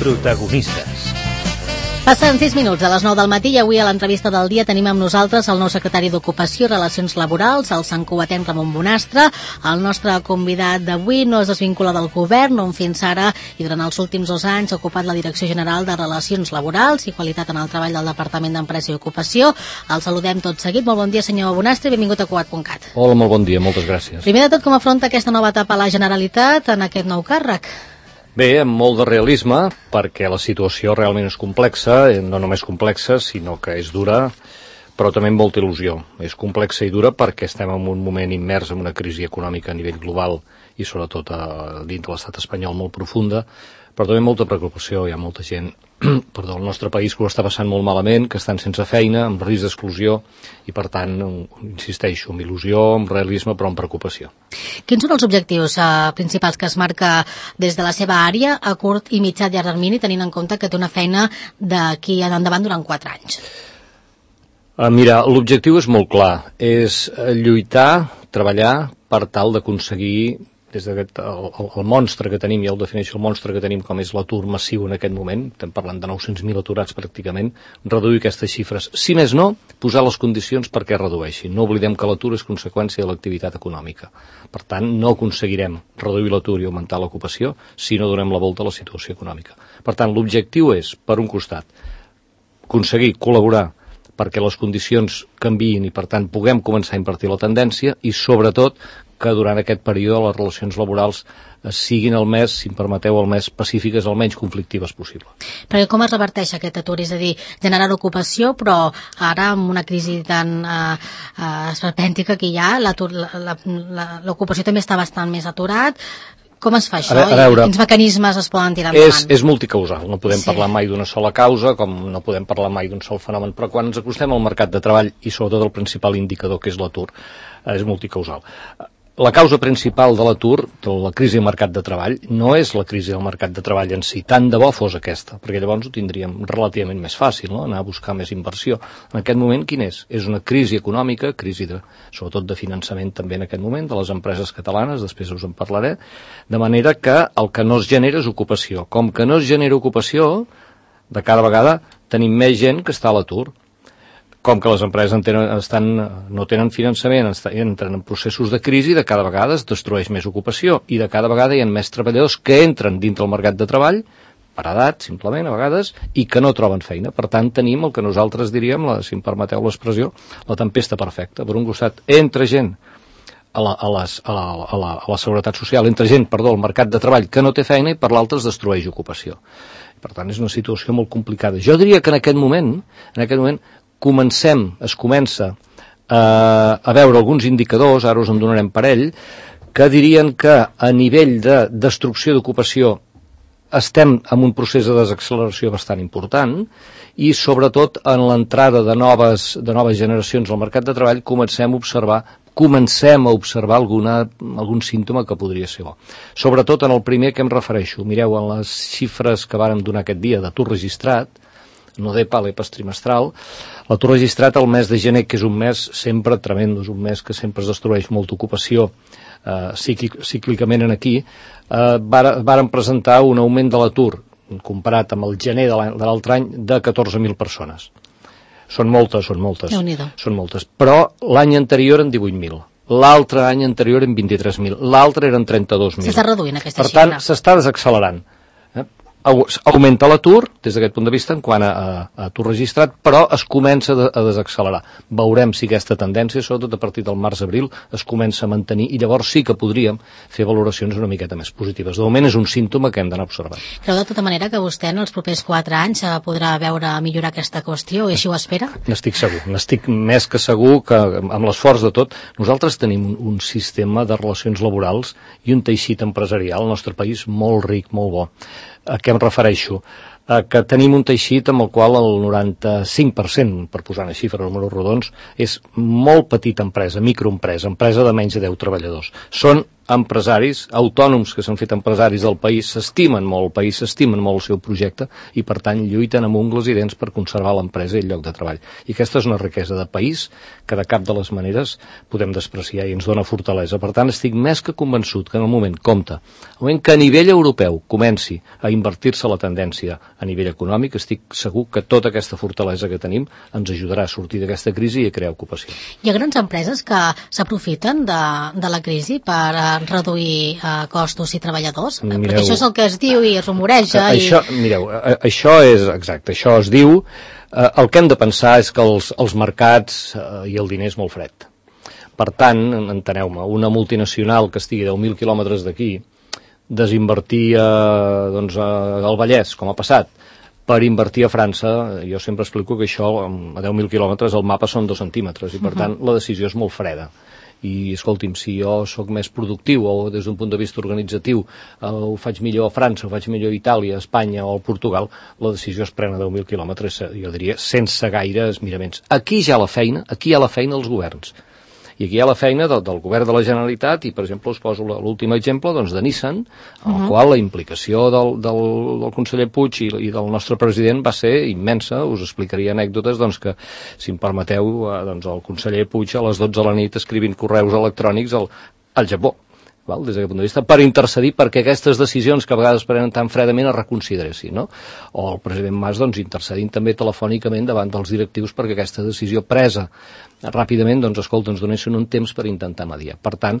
Protagonistes. Passen 6 minuts a les 9 del matí i avui a l'entrevista del dia tenim amb nosaltres el nou secretari d'Ocupació i Relacions Laborals, el santcugatenc Ramon Bonastre. El nostre convidat d'avui no es desvincula del govern, on fins ara i durant els últims 2 anys ha ocupat la Direcció General de Relacions Laborals i Qualitat en el Treball del Departament d'Empresa i Ocupació. El saludem tot seguit. Molt bon dia, senyor Bonastre, i benvingut a Cugat.cat. Hola, molt bon dia, moltes gràcies. Primer de tot, com afronta aquesta nova etapa a la Generalitat en aquest nou càrrec? Bé, amb molt de realisme, perquè la situació realment és complexa, no només complexa, sinó que és dura, però també amb molta il·lusió. És complexa i dura perquè estem en un moment immers en una crisi econòmica a nivell global i sobretot dins de l'estat espanyol molt profunda, però també molta preocupació. Hi ha molta gent al nostre país que ho està passant molt malament, que estan sense feina, amb risc d'exclusió, i per tant, insisteixo, amb il·lusió, amb realisme, però amb preocupació. Quins són els objectius principals que es marca des de la seva àrea a curt i mitjà llarg termini, tenint en compte que té una feina d'aquí en endavant durant 4 anys? Mira, l'objectiu és molt clar, és lluitar, treballar per tal d'aconseguir des d'aquest el monstre que tenim, ja ho defineixo, el monstre que tenim com és l'atur massiu en aquest moment, estem parlant de 900.000 aturats pràcticament, reduir aquestes xifres. Si més no, posar les condicions perquè es redueixin. No oblidem que l'atur és conseqüència de l'activitat econòmica. Per tant, no aconseguirem reduir l'atur i augmentar l'ocupació si no donem la volta a la situació econòmica. Per tant, l'objectiu és, per un costat, aconseguir col·laborar perquè les condicions canviïn i, per tant, puguem començar a invertir la tendència i, sobretot, que durant aquest període les relacions laborals siguin el més, si em permeteu, el més pacífiques, el menys conflictives possible. Perquè com es reverteix aquest atur? És a dir, generar ocupació, però ara amb una crisi tan esperpèntica que hi ha, l'ocupació també està bastant més aturat. Com es fa això? A veure, quins mecanismes es poden tirar endavant? És multicausal, no podem parlar mai d'una sola causa, com no podem parlar mai d'un sol fenomen, però quan ens acostem al mercat de treball, i sobretot el principal indicador, que és l'atur, és multicausal. La causa principal de l'atur, de la crisi del mercat de treball, no és la crisi del mercat de treball en si, tant de bo fos aquesta, perquè llavors ho tindríem relativament més fàcil, no? Anar a buscar més inversió. En aquest moment, quin és? És una crisi econòmica, sobretot de finançament també en aquest moment, de les empreses catalanes, després us en parlaré, de manera que el que no es genera és ocupació. Com que no es genera ocupació, de cada vegada tenim més gent que està a l'atur. Com que les empreses no tenen finançament, entren en processos de crisi, de cada vegada es destrueix més ocupació i de cada vegada hi ha més treballadors que entren dintre el mercat de treball, per edat, simplement, a vegades, i que no troben feina. Per tant, tenim el que nosaltres diríem, si em permeteu l'expressió, la tempesta perfecta. Per un costat, entra gent a la seguretat social, al mercat de treball que no té feina, i per l'altre es destrueix ocupació. Per tant, és una situació molt complicada. Jo diria que en aquest moment es comença a veure alguns indicadors, ara us en donarem parell, que dirien que a nivell de destrucció d'ocupació estem en un procés de desacceleració bastant important i sobretot en l'entrada de noves generacions al mercat de treball comencem a observar algun símptoma que podria ser bo. Sobretot en el primer que em refereixo. Mireu, en les xifres que vàrem donar aquest dia d'atur registrat, no d'EPA, l'EPA trimestral, l'atur registrat al mes de gener, que és un mes sempre tremendo, és un mes que sempre es destrueix molta ocupació cíclicament aquí, varen presentar un augment de l'atur, comparat amb el gener de l'altre any, de 14.000 persones. Són moltes, però l'any anterior en 18.000. L'altre any anterior en 23.000, l'altre eren 32.000. S'està reduint aquesta xifra. Per tant, s'està desaccelerant. Augmenta l'atur, des d'aquest punt de vista, en quant a atur registrat, però es comença a desaccelerar. Veurem si aquesta tendència, sobretot a partir del març-abril, es comença a mantenir i llavors sí que podríem fer valoracions una miqueta més positives. De moment és un símptoma que hem d'anar observant. Creu de tota manera que vostè en els propers 4 anys podrà veure millorar aquesta qüestió i així ho espera? N'estic segur, n'estic més que segur que amb l'esforç de tot, nosaltres tenim un sistema de relacions laborals i un teixit empresarial al nostre país molt ric, molt bo. A què em refereixo? Que tenim un teixit amb el qual el 95%, per posar una xifra, números rodons, és molt petita empresa, microempresa, empresa de menys de 10 treballadors. Són empresaris, autònoms que s'han fet empresaris del país, s'estimen molt el país, s'estimen molt el seu projecte i, per tant, lluiten amb ungles i dents per conservar l'empresa i el lloc de treball. I aquesta és una riquesa de país que de cap de les maneres podem despreciar i ens dona fortalesa. Per tant, estic més que convençut que en el moment, compte, el moment que a nivell europeu comenci a invertir-se la tendència a nivell econòmic, estic segur que tota aquesta fortalesa que tenim ens ajudarà a sortir d'aquesta crisi i a crear ocupació. Hi ha grans empreses que s'aprofiten de la crisi per reduir costos i treballadors? Mireu, perquè això és el que es diu i es rumoreja. Mireu, això és exacte, això es diu. El que hem de pensar és que els mercats i el diner és molt fred. Per tant, enteneu-me, una multinacional que estigui a 10.000 quilòmetres d'aquí, desinvertir al Vallès, com ha passat, per invertir a França, jo sempre explico que això, a 10.000 quilòmetres, el mapa són 2 centímetres, i per tant la decisió és molt freda. I escolti'm, si jo sóc més productiu o des d'un punt de vista organitzatiu ho faig millor a França, ho faig millor a Itàlia, a Espanya o a Portugal, la decisió es pren a 10.000 quilòmetres, jo diria, sense gaires miraments. Aquí hi ha la feina als governs. I aquí hi ha la feina del govern de la Generalitat i, per exemple, us poso l'últim exemple de Nissan, en el qual la implicació del conseller Puig i del nostre president va ser immensa. Us explicaria anècdotes que, si em permeteu, el conseller Puig a les 12 de la nit escrivint correus electrònics al Japó, des d'aquest punt de vista, per intercedir perquè aquestes decisions que a vegades prenen tan fredament es reconsideressin, no? O el president Mas intercedint també telefònicament davant dels directius perquè aquesta decisió presa ràpidament, escolta, ens donessin un temps per intentar mediar. Per tant,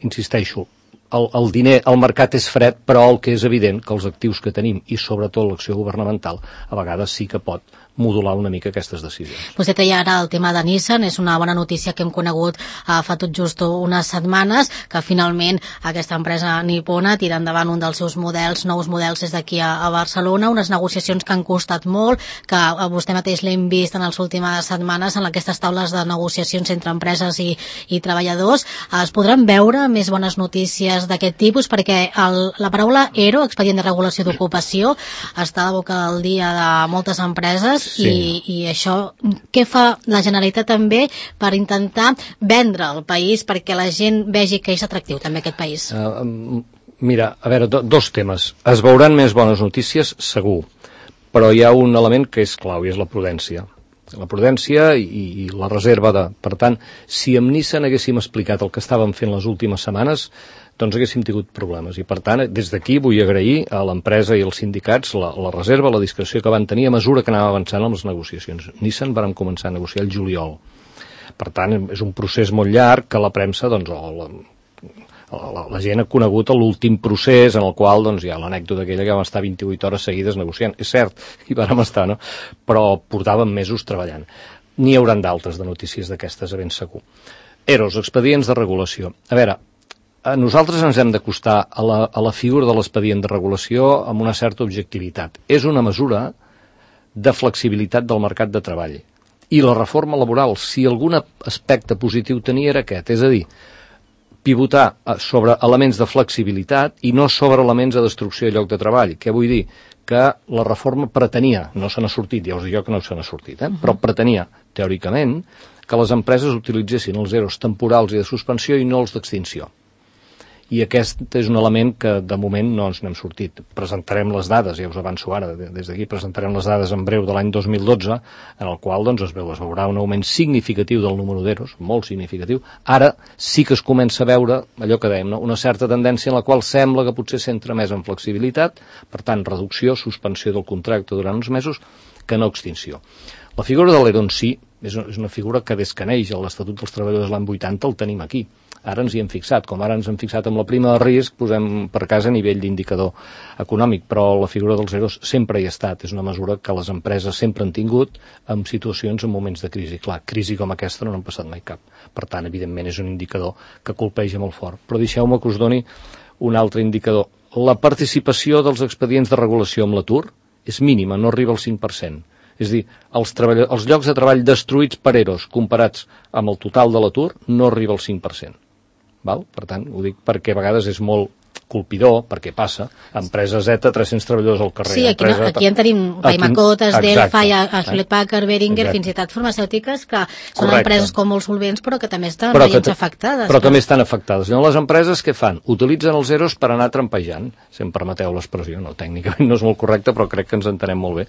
insisteixo, el diner, el mercat és fred, però el que és evident que els actius que tenim i sobretot l'acció governamental a vegades sí que pot modular una mica aquestes decisions. Vostè deia ara el tema de Nissan, és una bona notícia que hem conegut fa tot just unes setmanes, que finalment aquesta empresa nipona tira endavant un dels seus nous models des d'aquí a Barcelona, unes negociacions que han costat molt, que vostè mateix l'hem vist en les últimes setmanes en aquestes taules de negociacions entre empreses i treballadors. Es podran veure més bones notícies d'aquest tipus, perquè la paraula ERO, expedient de regulació d'ocupació, està a la boca del dia de moltes empreses. Sí. I això, què fa la Generalitat també per intentar vendre el país perquè la gent vegi que és atractiu també aquest país? Mira, a veure, dos temes. Es veuran més bones notícies, segur, però hi ha un element que és clau i és la prudència. La prudència i la reserva de... Per tant, si amb Nissan haguéssim explicat el que estàvem fent les últimes setmanes, haguéssim tingut problemes. I, per tant, des d'aquí vull agrair a l'empresa i als sindicats la reserva, la discreció que van tenir a mesura que anàvem avançant amb les negociacions. Nissan vàrem començar a negociar el juliol. Per tant, és un procés molt llarg que la premsa, la gent ha conegut l'últim procés en el qual hi ha l'anècdota aquella que vam estar 28 hores seguides negociant. És cert, hi vàrem estar, no? Però portàvem mesos treballant. N'hi hauran d'altres de notícies d'aquestes, a ben segur. EROs, expedients de regulació. A veure, nosaltres ens hem d'acostar a la figura de l'expedient de regulació amb una certa objectivitat. És una mesura de flexibilitat del mercat de treball. I la reforma laboral, si algun aspecte positiu tenia, era aquest, és a dir, pivotar sobre elements de flexibilitat i no sobre elements de destrucció de lloc de treball. Què vull dir? Que la reforma pretenia, no se n'ha sortit, ja us dic jo que no se n'ha sortit, però pretenia, teòricament, que les empreses utilitzessin els EROs temporals i de suspensió i no els d'extinció. I aquest és un element que de moment no ens n'hem sortit. Presentarem les dades, ja us avanço ara, des d'aquí presentarem les dades en breu de l'any 2012, en el qual es veurà un augment significatiu del número d'EROs, molt significatiu. Ara sí que es comença a veure, allò que dèiem, una certa tendència en la qual sembla que potser s'entra més en flexibilitat, per tant, reducció, suspensió del contracte durant uns mesos, que no extinció. La figura de l'ERO en si és una figura que des que neix l'Estatut dels Treballadors l'any 80 el tenim aquí. Ara ens hi hem fixat, com ara ens hem fixat amb la prima de risc, posem per cas a nivell d'indicador econòmic, però la figura dels EROs sempre hi ha estat, és una mesura que les empreses sempre han tingut en situacions, en moments de crisi. Clar, crisi com aquesta no n'han passat mai cap. Per tant, evidentment, és un indicador que colpeja molt fort. Però deixeu-me que us doni un altre indicador. La participació dels expedients de regulació amb l'atur és mínima, no arriba al 5%. És a dir, els llocs de treball destruïts per EROs comparats amb el total de l'atur no arriba al 5%. Val? Per tant, ho dic perquè a vegades és molt colpidor, perquè passa, empresa Z, 300 treballadors al carrer. Sí, aquí en tenim Paimacotes, Delphi, Hewlett Packard, Behringer, fins i tot farmacèutiques, que són empreses com molt solvents, però que també estan veient afectades. Però també estan afectades. Llavors, les empreses què fan? Utilitzen els EROs per anar trampejant, si em permeteu l'expressió, no, tècnicament no és molt correcte, però crec que ens entenem molt bé.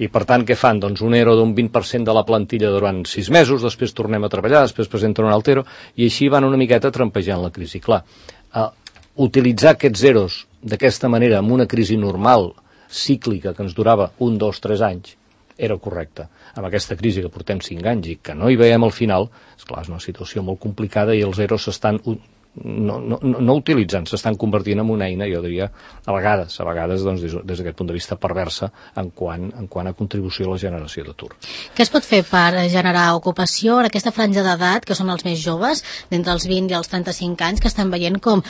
I per tant, què fan? Doncs un ERO d'un 20% de la plantilla durant 6 mesos, després tornem a treballar, després presenten un altre ERO, i així van una miqueta trampejant la crisi. Clar, utilitzar aquests EROs d'aquesta manera en una crisi normal, cíclica, que ens durava 1, 2, 3 anys, era correcte. Amb aquesta crisi que portem 5 anys i que no hi veiem al final, esclar, és una situació molt complicada i els EROs s'estan no utilitzant, s'estan convertint en una eina, jo diria, a vegades doncs, des d'aquest punt de vista perversa en quant a contribució a la generació d'atur. Què es pot fer per generar ocupació en aquesta franja d'edat, que són els més joves, d'entre els 20 i els 35 anys, que estan veient com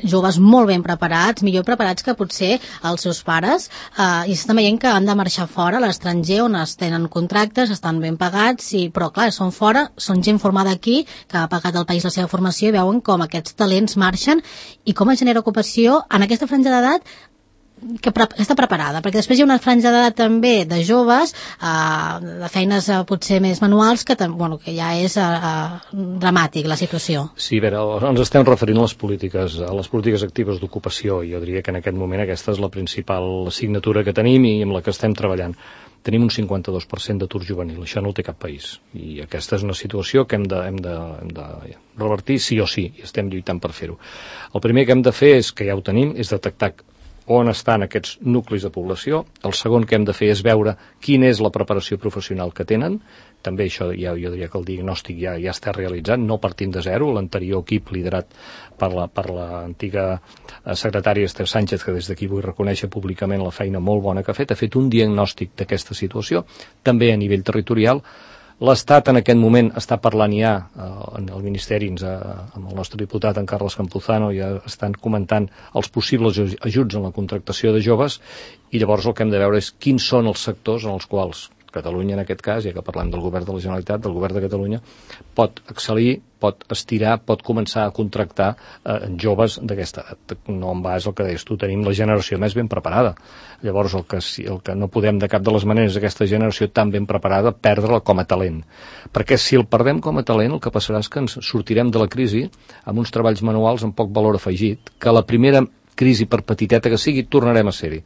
joves molt ben preparats, millor preparats que potser els seus pares, i s'estan veient que han de marxar fora, a l'estranger, on es tenen contractes, estan ben pagats, però clar, són fora, són gent formada aquí, que ha pagat al país la seva formació i veuen com aquests talents marxen i com es genera ocupació en aquesta franja d'edat que està preparada, perquè després hi ha una franja d'edat també de joves, de feines potser més manuals, que ja és dramàtic la situació. Sí, a veure, ens estem referint a les polítiques actives d'ocupació, i jo diria que en aquest moment aquesta és la principal assignatura que tenim i amb la que estem treballant. Tenim un 52% d'atur juvenil, això no el té cap país, i aquesta és una situació que hem de revertir sí o sí, i estem lluitant per fer-ho. El primer que hem de fer és, que ja ho tenim, és detectar on estan aquests nuclis de població. El segon que hem de fer és veure quina és la preparació professional que tenen. També això jo diria que el diagnòstic ja està realitzat, no partim de zero. L'anterior equip liderat per l'antiga secretària Esther Sánchez, que des d'aquí vull reconèixer públicament la feina molt bona que ha fet un diagnòstic d'aquesta situació, també a nivell territorial. L'Estat en aquest moment està parlant ja, en el Ministeri, amb el nostre diputat, en Carles Campuzano, ja estan comentant els possibles ajuts en la contractació de joves, i llavors el que hem de veure és quins són els sectors en els quals Catalunya, en aquest cas, ja que parlem del govern de la Generalitat, del govern de Catalunya, pot excel·lir, pot estirar, pot començar a contractar joves d'aquesta edat. No en base al que deies tu, tenim la generació més ben preparada. Llavors, el que no podem de cap de les maneres, aquesta generació tan ben preparada, perdre-la com a talent. Perquè si el perdem com a talent, el que passarà és que ens sortirem de la crisi amb uns treballs manuals amb poc valor afegit, que la primera crisi, per petiteta que sigui, tornarem a ser-hi.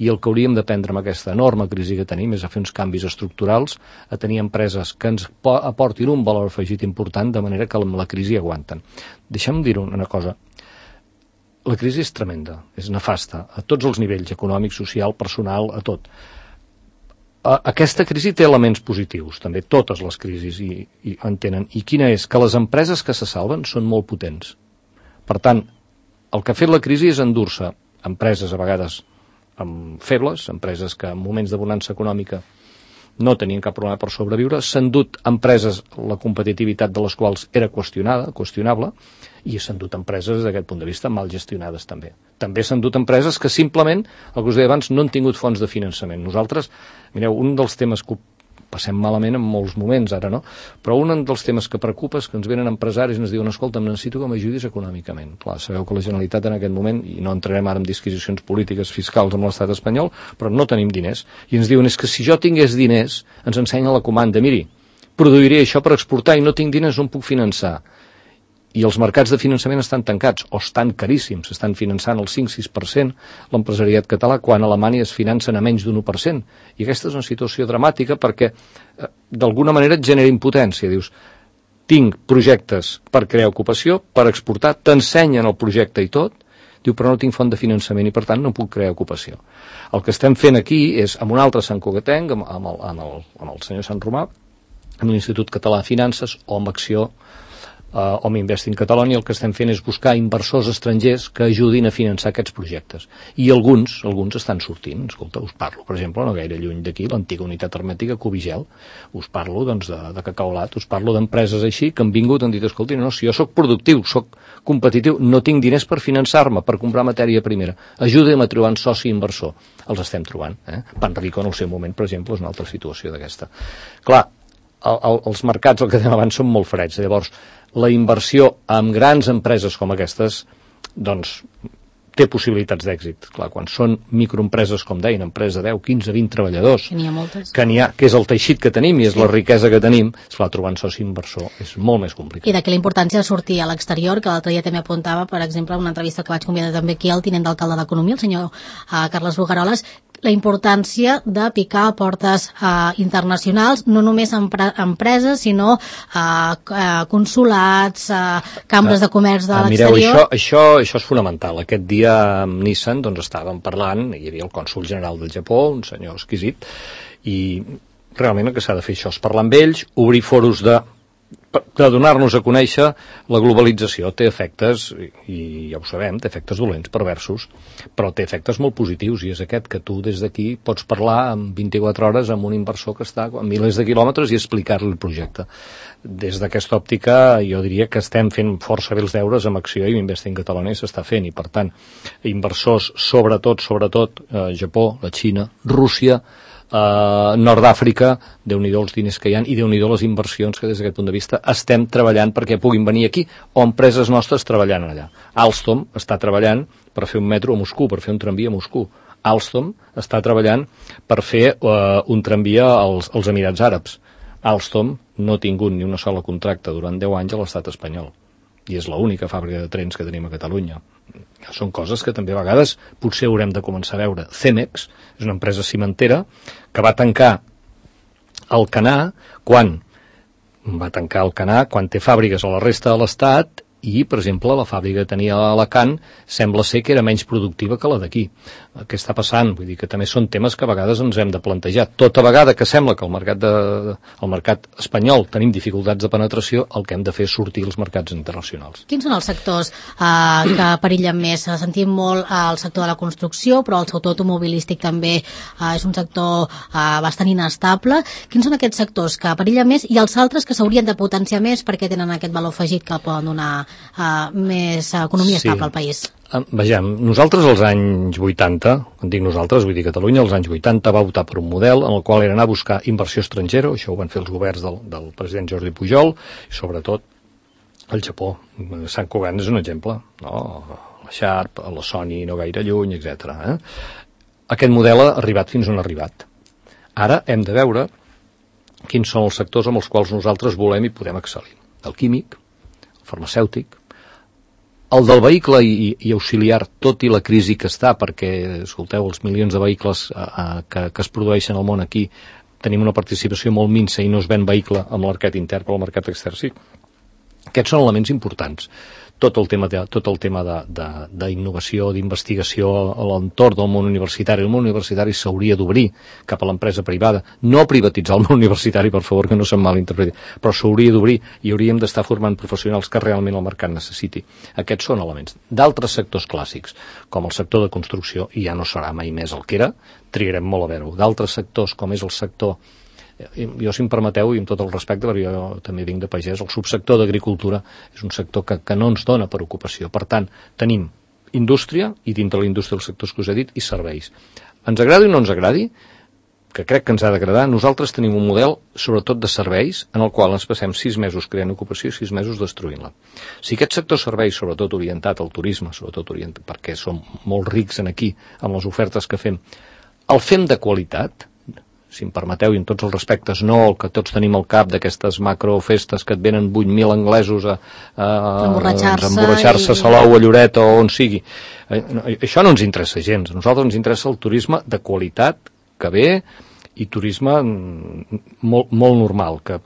I el que hauríem d'aprendre amb aquesta enorme crisi que tenim és a fer uns canvis estructurals, a tenir empreses que ens aportin un valor afegit important, de manera que amb la crisi aguanten. Deixa'm dir una cosa. La crisi és tremenda, és nefasta, a tots els nivells, econòmic, social, personal, a tot. Aquesta crisi té elements positius, també totes les crisis hi en tenen. I quina és? Que les empreses que se salven són molt potents. Per tant, el que ha fet la crisi és endur-se empreses a vegades febles, empreses que en moments de bonança econòmica no tenien cap problema per sobreviure, s'han dut empreses, la competitivitat de les quals era qüestionable, i s'han dut empreses, des d'aquest punt de vista, mal gestionades també. També s'han dut empreses que simplement, el que us deia abans, no han tingut fonts de finançament. Nosaltres, mireu, un dels temes que passem malament en molts moments ara, no? Però un dels temes que preocupa és que ens venen empresaris i ens diuen, escolta, necessito que m'ajudis econòmicament. Clar, sabeu que la Generalitat en aquest moment, i no entrarem ara en disquisicions polítiques fiscals amb l'estat espanyol, però no tenim diners. I ens diuen, és que si jo tingués diners, ens ensenya la comanda, miri, produiré això per exportar i no tinc diners, on puc finançar? I els mercats de finançament estan tancats, o estan caríssims, estan finançant el 5-6% l'empresariat català, quan a Alemanya es financen a menys d'un 1%. I aquesta és una situació dramàtica perquè, d'alguna manera, et genera impotència. Dius, tinc projectes per crear ocupació, per exportar, t'ensenyen el projecte i tot, diu, però no tinc font de finançament i, per tant, no puc crear ocupació. El que estem fent aquí és, amb un altre Sant Cugatenc, amb el senyor Sant Romà, amb l'Institut Català de Finances, o amb Acció, o amb Invest in Catalonia, el que estem fent és buscar inversors estrangers que ajudin a finançar aquests projectes. I alguns estan sortint. Escolta, us parlo, per exemple, no gaire lluny d'aquí, l'antiga unitat hermètica Cubigel. Us parlo, doncs, de Cacaolat, us parlo d'empreses així que han vingut i han dit, escolta, no, si jo sóc productiu, sóc competitiu, no tinc diners per finançar-me, per comprar matèria primera. Ajuda'm a trobar un soci inversor. Els estem trobant. Panrico, en el seu moment, per exemple, és una altra situació d'aquesta. Clar, els mercats, el que dèiem abans, són molt freds. Llavors, la inversió en grans empreses com aquestes, doncs, té possibilitats d'èxit. Clar, quan són microempreses, com deien, empresa de 10, 15, 20 treballadors, que n'hi ha moltes, que és el teixit que tenim i és la riquesa que tenim, esclar, trobar un soci inversor és molt més complicat. I d'aquí la importància de sortir a l'exterior, que l'altre dia també apuntava, per exemple, en una entrevista que vaig convidar també aquí al tinent d'alcalde d'Economia, el senyor Carles Bogaroles, la importància de picar a portes internacionals, no només empreses, sinó consulats, cambres de comerç de l'exterior. Mireu, això és fonamental. Aquest dia amb Nissan estàvem parlant, hi havia el cònsol general del Japó, un senyor exquisit, i realment el que s'ha de fer això és parlar amb ells, obrir foros de donar-nos a conèixer. La globalització té efectes, i ja ho sabem, té efectes dolents, perversos, però té efectes molt positius, i és aquest, que tu des d'aquí pots parlar en 24 hores amb un inversor que està a milers de quilòmetres i explicar-li el projecte. Des d'aquesta òptica jo diria que estem fent força bé els deures amb Acció i Investing Catalonia s'està fent, i per tant inversors sobretot Japó, la Xina, Rússia, Nord d'Àfrica, Déu-n'hi-do els diners que hi ha i Déu-n'hi-do les inversions que des d'aquest punt de vista estem treballant perquè puguin venir aquí, o empreses nostres treballant allà. Alstom està treballant per fer un metro a Moscou, per fer un tramvia a Moscou. Alstom està treballant per fer un tramvia als Emirats Àrabs. Alstom no ha tingut ni una sola contracte durant 10 anys a l'estat espanyol, i és l'única fàbrica de trens que tenim a Catalunya. Són coses que també a vegades potser haurem de començar a veure. Cemex és una empresa cimentera que va tancar Alcanar quan té fàbriques a la resta de l'Estat, i, per exemple, la fàbrica que tenia a Alacant sembla ser que era menys productiva que la d'aquí. Què està passant? Vull dir que també són temes que a vegades ens hem de plantejar. Tota vegada que sembla que el mercat espanyol tenim dificultats de penetració, el que hem de fer és sortir als mercats internacionals. Quins són els sectors que perillen més? Sentim molt el sector de la construcció, però el sector automobilístic també és un sector bastant inestable. Quins són aquests sectors que perillen més i els altres que s'haurien de potenciar més perquè tenen aquest valor afegit que poden donar més economia estable al país? Vejam, nosaltres als anys 80, quan dic nosaltres, vull dir Catalunya, als anys 80 va optar per un model en el qual era anar a buscar inversió estrangera, això ho van fer els governs del president Jordi Pujol, i sobretot el Japó. Sant Cugat és un exemple, no? La Sharp, la Sony no gaire lluny, etc. Aquest model ha arribat fins on ha arribat. Ara hem de veure quins són els sectors amb els quals nosaltres volem i podem excel·lir. El químic, farmacèutic, el del vehicle i auxiliar, tot i la crisi que està, perquè, escolteu, els milions de vehicles que es produeixen al món aquí, tenim una participació molt minsa i no es ven vehicle amb el mercat intern, però el mercat extern sí. Aquests són elements importants. Tot el tema d'innovació, d'investigació a l'entorn del món universitari. El món universitari s'hauria d'obrir cap a l'empresa privada. No privatitzar el món universitari, per favor, que no se'm malinterpreti, però s'hauria d'obrir i hauríem d'estar formant professionals que realment el mercat necessiti. Aquests són elements. D'altres sectors clàssics, com el sector de construcció, i ja no serà mai més el que era, trigarem molt a veure-ho. D'altres sectors, com és el sector, jo, si em permeteu, i amb tot el respecte, perquè jo també vinc de pagès, el subsector d'agricultura és un sector que no ens dona per ocupació. Per tant, tenim indústria, i dintre la indústria els sectors que us he dit, i serveis. Ens agradi o no ens agradi, que crec que ens ha d'agradar, nosaltres tenim un model, sobretot de serveis, en el qual ens passem 6 mesos creant ocupació i 6 mesos destruint-la. Si aquest sector serveis, sobretot orientat al turisme, sobretot orientat, perquè som molt rics en aquí, amb les ofertes que fem, el fem de qualitat, si em permeteu, i en tots els respectes, no el que tots tenim al cap d'aquestes macrofestes que et venen 8.000 anglesos a emborratxar-se a Salou, a Lloret o on sigui. Això no ens interessa gens. A nosaltres ens interessa el turisme de qualitat, que ve, i turisme molt normal, que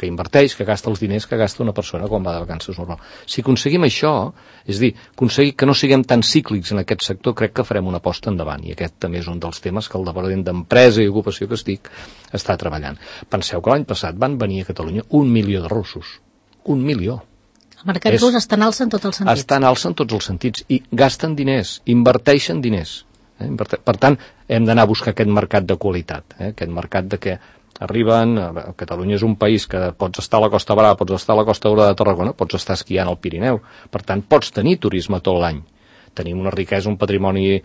inverteix, que gasta els diners que gasta una persona quan va de vacances normal. Si aconseguim això, és a dir, aconseguir que no siguem tan cíclics en aquest sector, crec que farem una aposta endavant, i aquest també és un dels temes que el Departament d'Empresa i Ocupació que estic està treballant. Penseu que l'any passat van venir a Catalunya 1 milió de russos. 1 milió. El mercat rus està en alça en tots els sentits. Està en alça en tots els sentits, i gasten diners, inverteixen diners. Per tant, hem d'anar a buscar aquest mercat de qualitat, aquest mercat de que arriben, Catalunya és un país que pots estar a la Costa Brava, pots estar a la Costa Daurada de Tarragona, pots estar esquiant al Pirineu, per tant, pots tenir turisme tot l'any. Tenim una riquesa, un patrimoni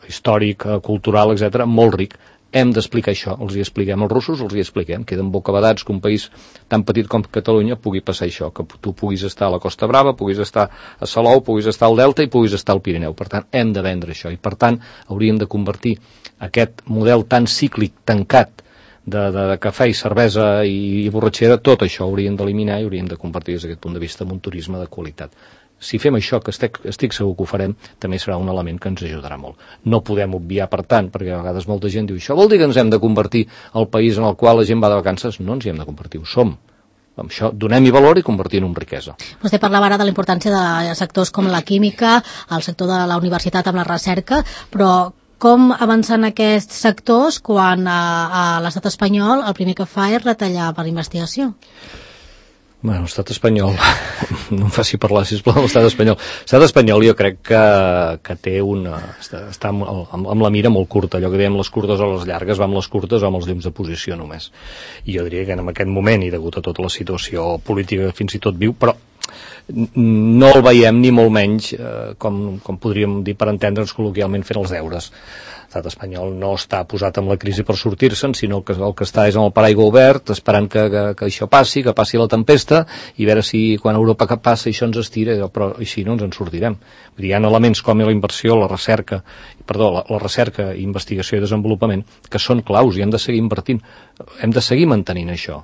històric, cultural, etc., molt ric. hem d'explicar això, els hi expliquem, els russos els hi expliquem, queden bocabadats que un país tan petit com Catalunya pugui passar això, que tu puguis estar a la Costa Brava, puguis estar a Salou, puguis estar al Delta i puguis estar al Pirineu. Per tant, hem de vendre això i per tant hauríem de convertir aquest model tan cíclic, tancat, de cafè i cervesa i borratxera, tot això hauríem d'eliminar i hauríem de convertir des d'aquest punt de vista en un turisme de qualitat. Si fem això, que estic segur que ho farem, també serà un element que ens ajudarà molt. No podem obviar, per tant, perquè a vegades molta gent diu això vol dir que ens hem de convertir al país en el qual la gent va de vacances? No ens hi hem de convertir, ho som. Amb això donem-hi valor i convertim en riquesa. Vostè parlava ara de la importància de sectors com la química, el sector de la universitat amb la recerca, però com avancen aquests sectors quan a l'estat espanyol el primer que fa és retallar per investigació? Bueno, l'estat espanyol, no em faci parlar, sisplau, l'estat espanyol. L'estat espanyol jo crec que té està amb la mira molt curta, allò que dèiem les curtes o les llargues, va amb les curtes o amb els llums de posició només. I jo diria que en aquest moment, i degut a tota la situació política que fins i tot viu, però no el veiem ni molt menys, com podríem dir per entendre'ns col·loquialment, fent els deures. L'estat espanyol no està posat amb la crisi per sortir-se'n, sinó que el que està és amb el paraigua obert, esperant que això passi, que passi la tempesta, i veure si quan Europa passa això ens estira, però així no ens en sortirem. Vull dir, hi ha elements com la inversió, la recerca, investigació i desenvolupament, que són claus i hem de seguir invertint. Hem de seguir mantenint això.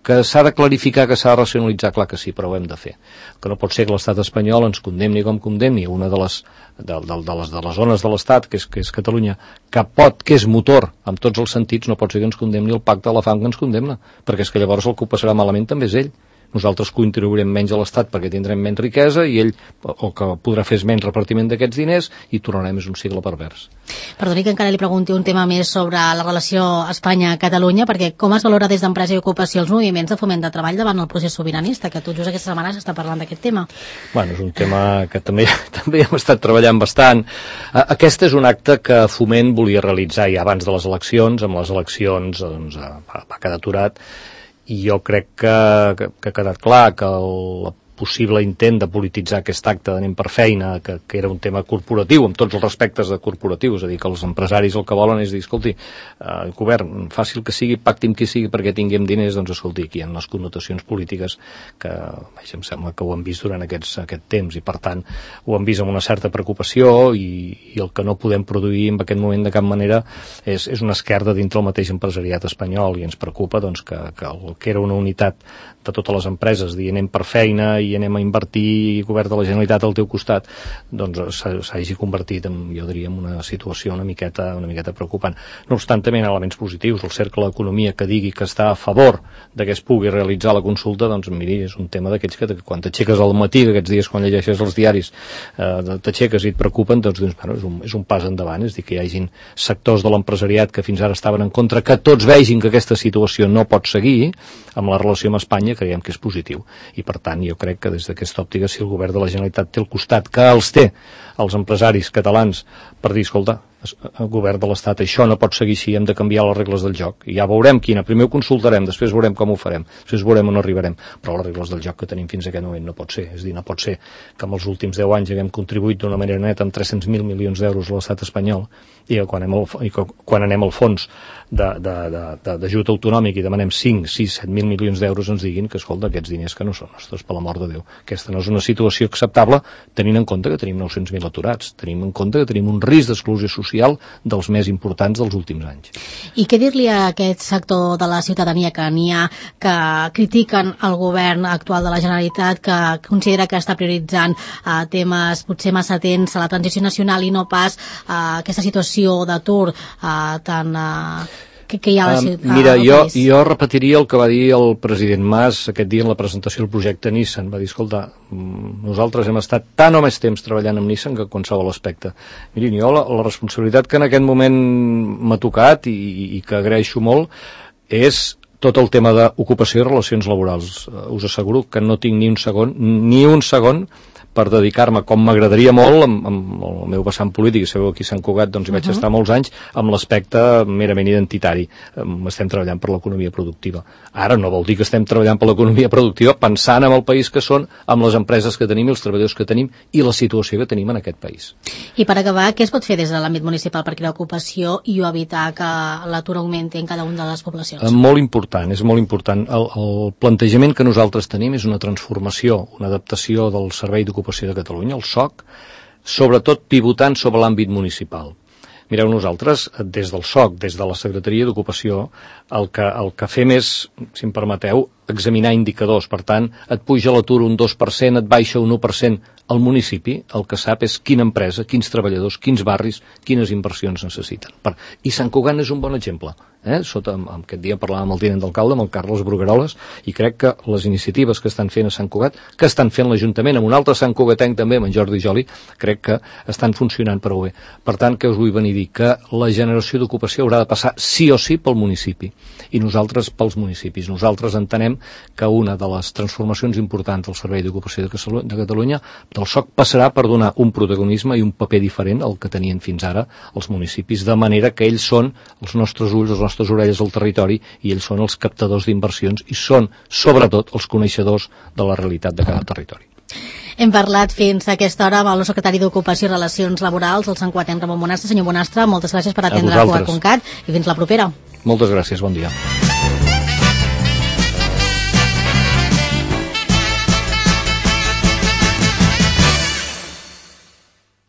Que s'ha de clarificar, que s'ha de racionalitzar, clar que sí, però ho hem de fer. Que no pot ser que l'estat espanyol ens condemni com condemni una de les zones de l'estat, que és Catalunya, que és motor en tots els sentits, no pot ser que ens condemni el pacte de la fam que ens condemna, perquè és que llavors el que ho passarà malament també és ell. Nosaltres contribuirem menys a l'Estat perquè tindrem menys riquesa i ell el que podrà fer és menys repartiment d'aquests diners i tornarem és un cicle pervers. Perdoni que encara li pregunti un tema més sobre la relació Espanya-Catalunya, perquè com es valora des d'Empresa i Ocupació els moviments de foment de treball davant el procés sobiranista, que tot just aquesta setmana s'està parlant d'aquest tema? Bueno, és un tema que també hem estat treballant bastant. Aquest és un acte que Foment volia realitzar ja abans de les eleccions, amb les eleccions doncs, va quedar aturat, i jo crec que ha quedat clar que el possible intent de polititzar aquest acte d'anem per feina, que era un tema corporatiu, amb tots els respectes de corporatiu, és a dir, que els empresaris el que volen és dir, escolti, govern, fàcil que sigui, pacti amb qui sigui perquè tinguem diners, doncs escolti, aquí hi ha les connotacions polítiques que, em sembla que ho hem vist durant aquest temps, i per tant ho hem vist amb una certa preocupació, i el que no podem produir en aquest moment de cap manera és una esquerda dintre el mateix empresariat espanyol, i ens preocupa doncs, que el que era una unitat de totes les empreses, dir anem per feina i anem a invertir i govern de la Generalitat al teu costat, doncs s'hagi convertit en, jo diria, en una situació una miqueta preocupant. No obstant, també hi ha elements positius. El cercle d'economia que digui que està a favor de que es pugui realitzar la consulta, doncs miri, és un tema d'aquells que quan t'aixeques al matí, aquests dies quan llegeixes els diaris, t'aixeques i et preocupen, doncs bueno, és un pas endavant, és dir, que hi hagin sectors de l'empresariat que fins ara estaven en contra, que tots vegin que aquesta situació no pot seguir amb la relació amb Espanya, creiem que és positiu. I per tant, jo crec que des d'aquesta òptica, si el govern de la Generalitat té al costat, que els té els empresaris catalans per dir, escolta, el govern de l'Estat, això no pot seguir així, hem de canviar les regles del joc, i ja veurem quina, primer ho consultarem, després veurem com ho farem, després veurem on arribarem, però les regles del joc que tenim fins a aquest moment no pot ser, és dir, no pot ser que en els últims 10 anys haguem contribuït d'una manera neta amb 300.000 milions d'euros a l'estat espanyol, i quan anem al fons d'ajut autonòmic i demanem 5, 6, 7.000 milions d'euros ens diguin que, escolta, aquests diners que no són nostres, per l'amor de Déu. Aquesta no és una situació acceptable, tenint en compte que tenim 900.000 aturats, tenim en compte que tenim un risc d'exclusió social dels més importants dels últims anys. I què dir-li a aquest sector de la ciutadania que n'hi ha que critiquen el govern actual de la Generalitat, que considera que està prioritzant temes potser massa atents a la transició nacional i no pas a aquesta situació d'atur tan... que hi ha mira, jo repetiria el que va dir el president Mas aquest dia en la presentació del projecte Nissan. Va dir, escolta, nosaltres hem estat tant o més temps treballant amb Nissan que qualsevol aspecte. Mirin, jo la responsabilitat que en aquest moment m'ha tocat i que agraeixo molt és tot el tema d'ocupació i relacions laborals. Us asseguro que no tinc ni un segon per dedicar-me, com m'agradaria molt, amb el meu vessant polític, sabeu, aquí a Sant Cugat, doncs hi vaig estar molts anys, amb l'aspecte merament identitari. Estem treballant per l'economia productiva. Ara no vol dir que estem treballant per l'economia productiva pensant en el país que són, amb les empreses que tenim i els treballadors que tenim i la situació que tenim en aquest país. I per acabar, què es pot fer des de l'àmbit municipal per crear ocupació i evitar que l'atur augmenti en cada una de les poblacions? Molt important, és molt important. El plantejament que nosaltres tenim és una transformació, una adaptació del Servei d'Ocupació de Catalunya, el SOC, sobretot pivotant sobre l'àmbit municipal. Mireu, nosaltres, des del SOC, des de la Secretaria d'Ocupació, el que fem és, si em permeteu, examinar indicadors. Per tant, et puja l'atur un 2%, et baixa un 1%. El municipi el que sap és quina empresa, quins treballadors, quins barris, quines inversions necessiten. I Sant Cugat és un bon exemple. Aquest dia parlàvem amb el tinent d'alcalde, amb el Carles Brugueroles, i crec que les iniciatives que estan fent a Sant Cugat, que estan fent l'Ajuntament, amb un altre Sant Cugatenc també, amb en Jordi Joli, crec que estan funcionant prou bé. Per tant, què us vull venir a dir? Que la generació d'ocupació haurà de passar sí o sí pel municipi, i nosaltres pels municipis. Nosaltres entenem que una de les transformacions importants del Servei d'Ocupació de Catalunya, del SOC, passarà per donar un protagonisme i un paper diferent al que tenien fins ara els municipis, de manera que ells són els nostres ulls, les nostres orelles al territori, i ells són els captadors d'inversions i són, sobretot, els coneixedors de la realitat de cada territori. Hem parlat fins a aquesta hora amb el secretari d'Ocupació i Relacions Laborals, el santcugatenc Ramon Bonastre. Senyor Bonastre, moltes gràcies per atendre a Cugat.cat i fins la propera. Moltes gràcies, bon dia.